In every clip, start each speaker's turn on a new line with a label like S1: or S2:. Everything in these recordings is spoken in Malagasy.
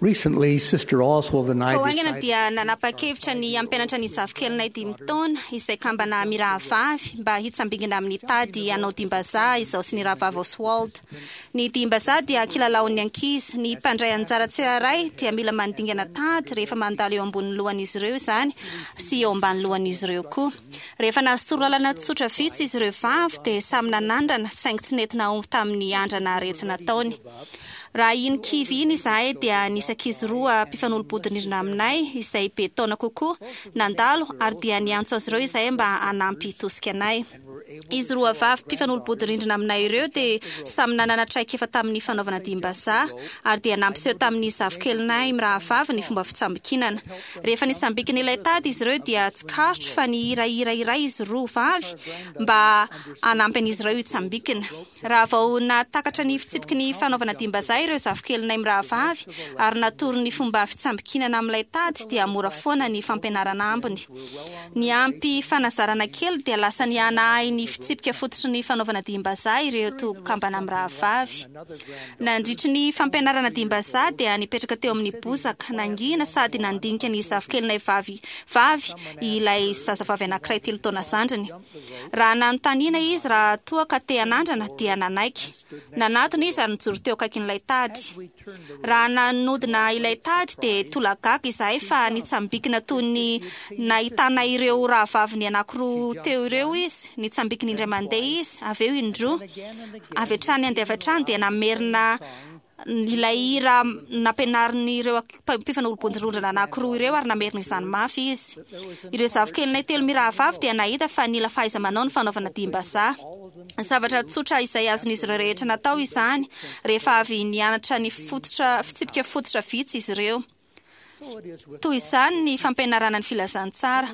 S1: Recently, Sister Oswald and I
S2: Vao haingana
S1: decided
S2: dia nanapa-kevitra ny hampianatra ny zafikelinay dimy taona izay kambana mirahavavy mba hitsambingina amin'ny tady hanao dimbazaha izaho sy ny rahavavy Oswald. Ny dimbazaha dia kilalaon'ny ankizy. Ny mpandray anjara tsirairay dia mila mandingana tady rehefa mandalo eo ambonin'ny lohan'izy ireo izany sy eo ambany lohan'izy ireo koa. Rehefa nahazo torolalana tsotra vitsy izy ireo vavy dia samy nanandrana saingy tsy nety nahomby tamin'ny andrana rehetra nataony. Raha iny kivy iny izahay dia nisy ankizy roa mpifanolo-bodirindrina aminay izay be taona kokoa nandalo ary dia niantso azy ireo izahay mba hanampy tosika anay. Izy roa vavy mpifanolo-bodirindrina aminay ireo dia samy nanana traikefa tamin'ny fanaovana dihim-bazaha ary dia nampiseho tamin'ny zafikelinay mirahavavy ny fomba fitsambikinana. Rehefa nitsambikina ilay tady izy ireo dia tsikaritro fa nihira hira iray izy roa vavy mba hanampy an'izy ireo hitsambikina. Raha vao nahatakatra ny fitsipiky ny fanaovana dihim-bazaha ireo zafikelinay mirahavavy ary natoro ny fomba fitsambikinana amin'ilay tady dia mora foana ny fampianarana ambiny. Niampy fanazarana kely dia lasa nihanahay ny fitsipika fototry ny fanaovana dihim-bazaha ireto kambana mirahavavy. Nandritry ny fampianarana dihim-bazaha dia nipetraka teo amin'ny bozaka nangina sady nandinika ny zafikelinay vavy vavy ilay zazavavy anankiray telo taona zandriny. Raha nanontaniana izy raha toa ka te hanandrana dia nanaiky. Nanatona izy ary nijoro teo akaikin'ilay tady. Raha nanodina ilay tady dia tolagaga izahay fa nitsambikina toy ny nahitana ireo rahavaviny anankiroa teo ireo izy. Nitsambikina indray mandeha izy, avy eo indroa. Avy hatrany andeha avy hatrany dia namerina ilay hira nampianarin'ireo mpifanolo-bodirindrina anankiroa ireo ary namerina izany mafy izy. Ireo zafikelinay telo mirahavavy dia nahita fa nila fahaiza-manao ny fanaovana dihim-bazaha. Zavatra tsotra izay azon'izy ireo rehetra natao izany rehefa avy nianatra ny fototra fitsipika fototra vitsy izy ireo. Toy izany ny fampianarana ny filazantsara.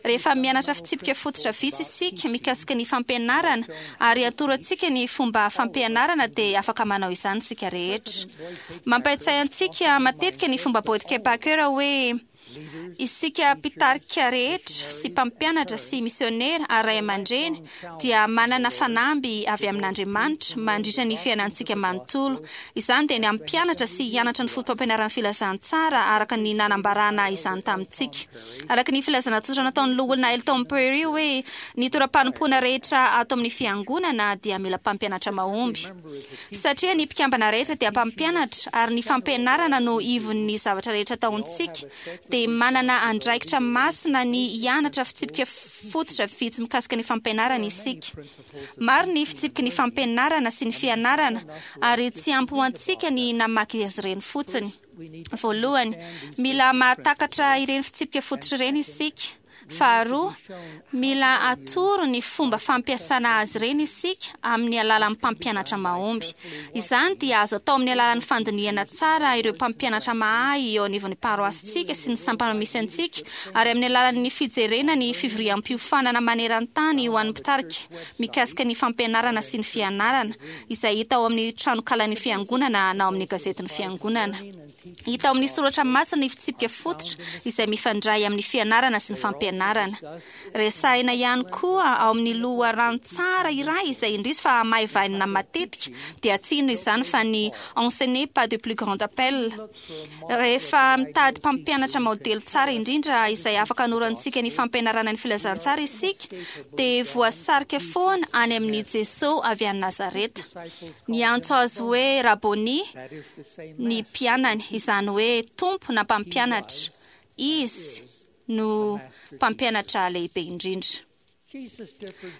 S2: Rehefa mianatra fitsipika fototra vitsy isika mikasika ny fampianarana ary atoro antsika ny fomba fampianarana dia afaka manao izany isika rehetra. Mampahatsiahy antsika matetika ny fomba Boyd K. Packer hoe, Isika mpitarika rehetra sy mpampianatra sy misionera ary ray aman-dreny dia manana fanamby avy amin'Andriamanitra mandritra ny fiainantsika manontolo. Izany dia ny hampianatra sy hianatra ny fotopampianaran'ny filazantsara araka ny nanambarana izany tamintsika. Araka ny filazana tsotra nataon'ny Loholona Elton Perry hoe, Ny toeram-panompoana rehetra ato amin'ny Fiangonana dia mila mpampianatra mahomby. Satria ny mpikambana rehetra dia mpampianatra ary ny fampianarana no ivon'ny zavatra rehetra ataontsika, dia manana andraikitra masina ny hianatra fitsipika fototra vitsy mikasika ny fampianarana isika. Maro ny fitsipiky ny fampianarana sy ny fianarana, ary tsy ampy ho antsika ny namaky azy ireny fotsiny. Voalohany, mila mahatakatra ireny fitsipika fototra ireny isika. Faharoa, mila atoro ny fomba fampiasana azy ireny isika amin'ny alalan'ny mpampianatra mahomby. Izany dia azo atao amin'ny alalan'ny fandinihana tsara ireo mpampianatra mahay eo anivon'ny paroasintsika sy ny sampana misy antsika ary amin'ny alalan'ny fijerena ny fivoriam-piofanana maneran-tany ho an'ny mpitarika mikasika ny fampianarana sy ny fianarana, izay hita ao amin'ny tranokalan'ny Fiangonana na ao amin'ny gazetin'ny Fiangonana. Hita ao amin'ny soratra masina ny fitsipika fototra izay mifandray amin'ny fianarana sy ny fampianarana. Resahina ihany koa ao amin'ny loharano tsara iray izay indrisy fa hamaivainina matetika, dia tsy inona izany fa ny Enseigner pas de plus grand appel. Rehefa mitady mpampianatra maodely tsara indrindra izay afaka hanorantsika ny fampianarana ny filazantsara isika, dia voasarika foana any amin'i Jesoa avy any Nazareta. Niantso azy hoe Raboni ny mpianany, izany hoe Tompo na Mpampianatra. Izy no Mpampianatra lehibe indrindra.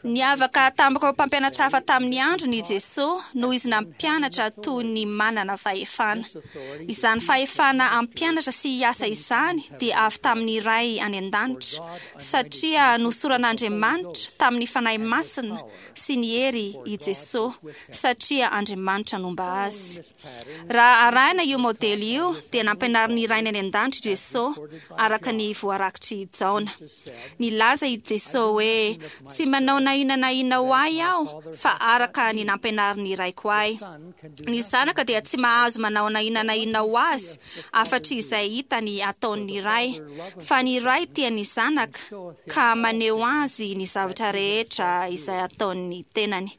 S2: Niavaka tamin'ireo mpampianatra hafa tamin'ny androny i Jesoa noho izy nampianatra toy ny manana fahefana. Izany fahefana hampianatra sy hiasa izany dia avy tamin'ny Ray any An-danitra, satria nosoran'Andriamanitra tamin'ny Fanahy Masina sy ny hery i Jesoa, satria Andriamanitra nomba Azy. Raha arahina io maodely io, dia nampianarin'ny Rainy any An-danitra i Jesoa, araka ny voarakitr'i Jaona. Nilaza i Jesoa hoe, Tsy manao na inona na inona ho ahy aho, fa araka ny nampianarin'ny Raiko ahy. Ny Zanaka dia tsy mahazo manao na inona na inona ho azy, afa-tsy izay hitany ataon'ny Ray. Fa ny Ray tia ny Zanaka, ka maneho azy ny zavatra rehetra izay ataon'ny tenany.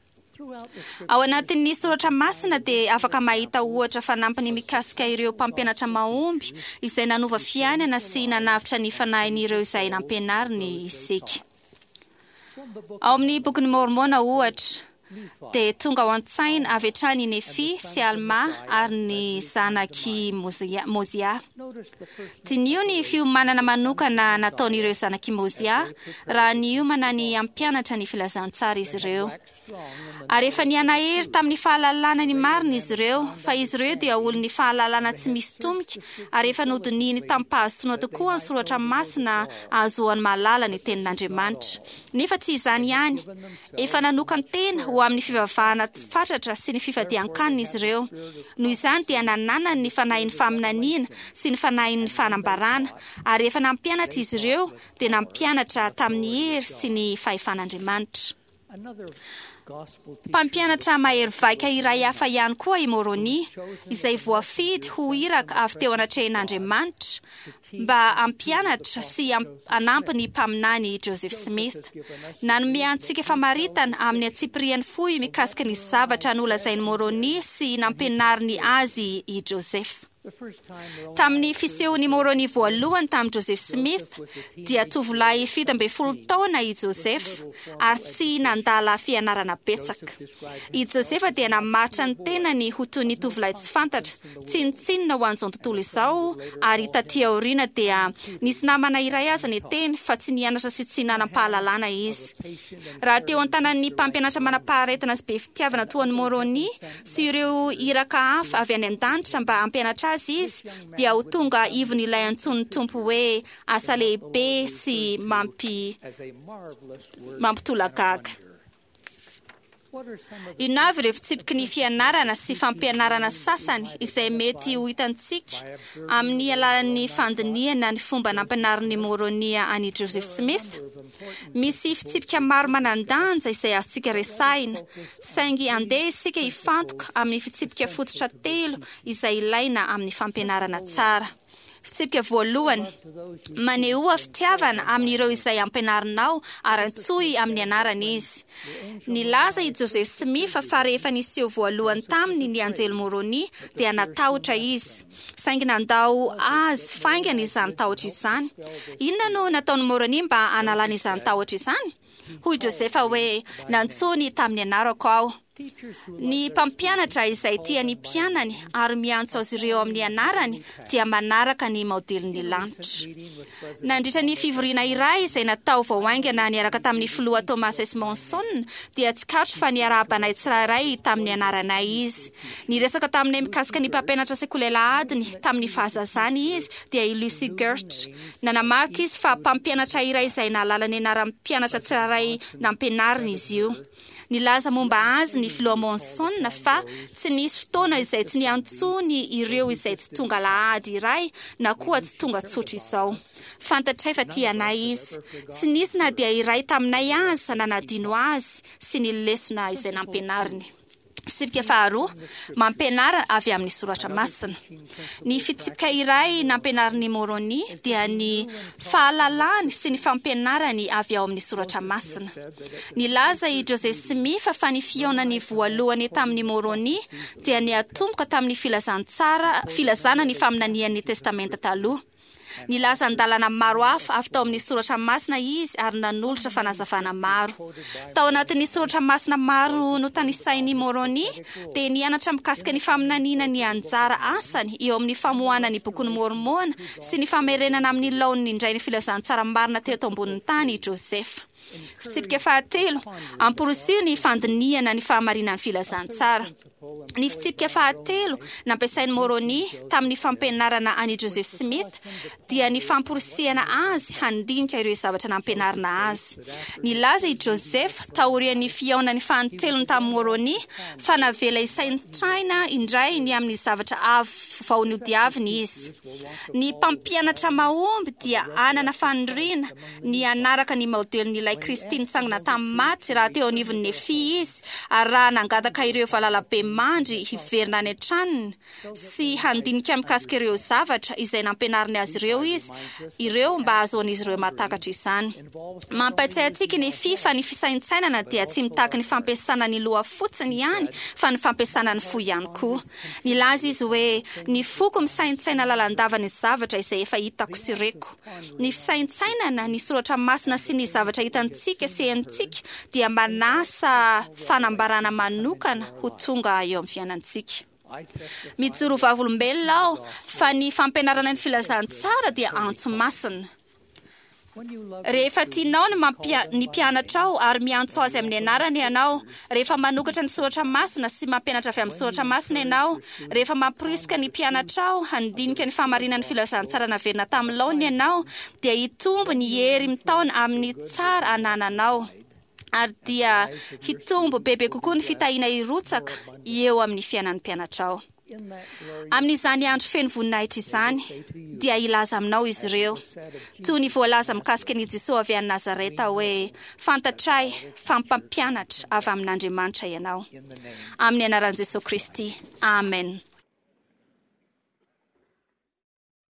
S2: Ao anatin'ny soratra masina dia afaka mahita ohatra fanampiny mikasika ireo mpampianatra mahomby izay nanova fiainana sy nanavotra ny fanahin'ireo izay nampianariny isika. Ao amin'ny bokin'i Môrmôna ohatra, dia tonga ao an-tsaina avy hatrany i Nefy sy Almà ary ny zanak'i Môzià. Diniho ny fiomanana manokana nataon'ireo zanak'i Môzià raha niomana ny hampianatra ny filazantsara izy ireo. Ary efa nihanahery tamin'ny fahalalana ny marina izy ireo, fa izy ireo dia olon'ny fahalalana tsy misy tomika, ary efa nodinihiny tamim-pahazotoana tokoa ny soratra masina ahazoany mahalala ny tenin'Andriamanitra. Nefa tsy izany ihany, efa nanokan-tena ho amin'ny fivavahana fatratra sy ny fifadian-kanina izy ireo. Noho izany dia nananany ny fanahin'ny faminaniana sy ny fanahin'ny fanambarana, ary efa nampianatra izy ireo dia nampianatra tamin'ny hery sy ny fahefan'Andriamanitra. Mpampianatra mahery vaika iray hafa ihany koa i Môrônia, izay voafidy ho iraka avy teo anatrehan'Andriamanitra mba hampianatra sy hanampy ny mpaminany Joseph Smith. Nanome antsika famaritana amin'ny antsipiriany fohy mikasika ny zavatra nolazain'i Môrônia sy nampianariny azy i Joseph. Tamin'ny fisehon'i Môrônia voalohany tamin'i Joseph Smith, dia tovolahy 17 taona i Joseph ary tsy nandala fianarana betsaka. I Joseph dia namaritra ny tenany ho toy ny tovolahy tsy fantatra, tsinontsinona ho an'izao tontolo izao, ary taty aoriana dia nisy namana iray aza niteny fa tsy nianatra sy tsy nanam-pahalalana izy. Raha teo an-tanan'ny mpampianatra manam-paharetana sy be fitiavana toa an'i Môrônia sy ireo iraka hafa avy any an-danitra mba hampianatra azy izy, dia ho tonga ivon'ilay antsoin'ny Tompo hoe asa lehibe sy mampi mampitolagaga. Inona avy ireo fitsipiky ny fianarana sy fampianarana sasany izay mety ho hitantsika amin'ny alalan'ny fandinihana ny fomba nampianarin'i Môrônia an'i Joseph Smith? Misy fitsipika maro manan-danja izay azontsika resahina, saingy andeha isika hifantoka amin'ny fitsipika fototra telo izay ilaina amin'ny fampianarana tsara. Fitsipika voalohany, manehoa fitiavana amin'ireo izay ampianarinao ary antsoy amin'ny anarany izy. Nilaza i Joseph Smith fa rehefa niseho voalohany taminy ny anjely Môrônia dia natahotra izy. Saingy nandao azy faingana izany tahotra izany. Inona no nataon'i Môrônia mba hanalana izany tahotra izany? Hoy Josefa hoe, Nantsoiny tamin'ny anarako aho. Ny mpampianatra izay tia ny mpianany ary miantso azy ireo amin'ny anarany dia manaraka ny maodelin'ny lanitra. Nandritra ny fivoriana iray izay natao vao haingana niaraka tamin'ny Filoha Thomas S. Monson dia tsikaritro fa niarahaba anay tsirairay tamin'ny anaranay izy. Niresaka taminay mikasika ny mpampianatra sekoly alahadiny tamin'ny fahazazany izy dia i Lucy Gertsch. Nanamarika izy fa mpampianatra iray izay nahalala ny anaran'ny mpianatra tsirairay nampianariny izy io. Nilaza momba azy ny Filoha Monson fa tsy nisy fotoana izay tsy niantsoany ireo izay tsy tonga alahady iray na koa tsy tonga tsotra izao. Fantatray fa tia anay izy. Tsy nisy na dia iray taminay aza nanadino azy sy ny lesona izay nampianariny. Fitsipika faharoa, mampianara avy amin'ny soratra masina. Ny fitsipika iray nampianarin'i Môrônia dia ny fahalalany sy ny fampianarany avy ao amin'ny soratra masina. Nilaza i Joseph Smith fa ny fihaonany voalohany tamin'i Môrônia dia niatomboka tamin'ny filazantsara, filazana ny faminanian'ny Testamenta Taloha. Nilaza andalana maro hafa avy tao amin'ny soratra masina izy ary nanolotra fanazavana maro. Tao anatin'ny soratra masina maro notanisain'i Môrônia dia nianatra mikasika ny faminaniana ny anjara asany eo amin'ny famoahana ny Bokin'i Môrmôna sy ny famerenana amin'ny laoniny indray ny filazantsara marina teto ambonin'ny tany i Joseph. Fitsipika fahatelo, amporisiho ny fandinihana ny fahamarinan'ny filazantsara. Ny fitsipika fahatelo nampiasain'i Môrônia tamin'ny fampianarana an'i Joseph Smith dia ny famporisihana azy handinika ireo zavatra nampianarina azy. Nilaza i Joseph taorian'ny fihaonany fanintelony tamin'i Môrônia fa navela hisaintsaina indray ny amin'ny zavatra avy vao nodiaviny izy. Ny mpampianatra mahomby dia hanana faniriana ny hanaraka ny maodelin'ilay. ilay Kristy nitsangana tamin'ny maty raha teo anivon'ny Nefia izy, ary raha nangataka ireo valalabemandry hiverina any an-tranony sy handinika mikasika ireo zavatra izay nampianariny azy ireo izy ireo mba hahazoan'izy ireo mahatakatra izany. Mampahatsiahy antsika i Nefia fa ny fisaintsainana dia tsy mitaky ny fampiasana ny loha fotsiny ihany fa ny fampiasana ny fo ihany koa. Nilaza izy hoe, Ny foko misaintsaina lalandava ny zavatra izay efa hitako sy reko. Ny fisaintsainana ny soratra masina sy ny zavatra hitantsika sy henontsika dia manasa fanambarana manokana ho tonga eo amin'ny fiainantsika. Mijoro ho vavolombelona aho fa ny fampianarana ny filazantsara dia antso masina. Rehefa tianao ny mampia, ny mpianatrao ary miantso azy amin'ny anarany ianao, rehefa manokatra ny soratra masina sy mampianatra avy amin'ny soratra masina ianao, rehefa mamporisika ny mpianatrao handinika ny fahamarinan'ny filazantsara naverina tamin'ny laoniny ianao, dia hitombo ny hery mitaona amin'ny tsara anananao, ary dia hitombo bebe kokoa ny fitahiana hirotsaka eo amin'ny fiainan'ny mpianatrao. Amin'izany andro feno voninahitra izany, dia hilaza aminao izy ireo, toy ny voalaza mikasika an'i Jesoa avy any Nazareta hoe, Fantatray fa mpampianatra avy amin'Andriamanitra ianao. Amin'ny anaran'i Jesoa Kristy, amen.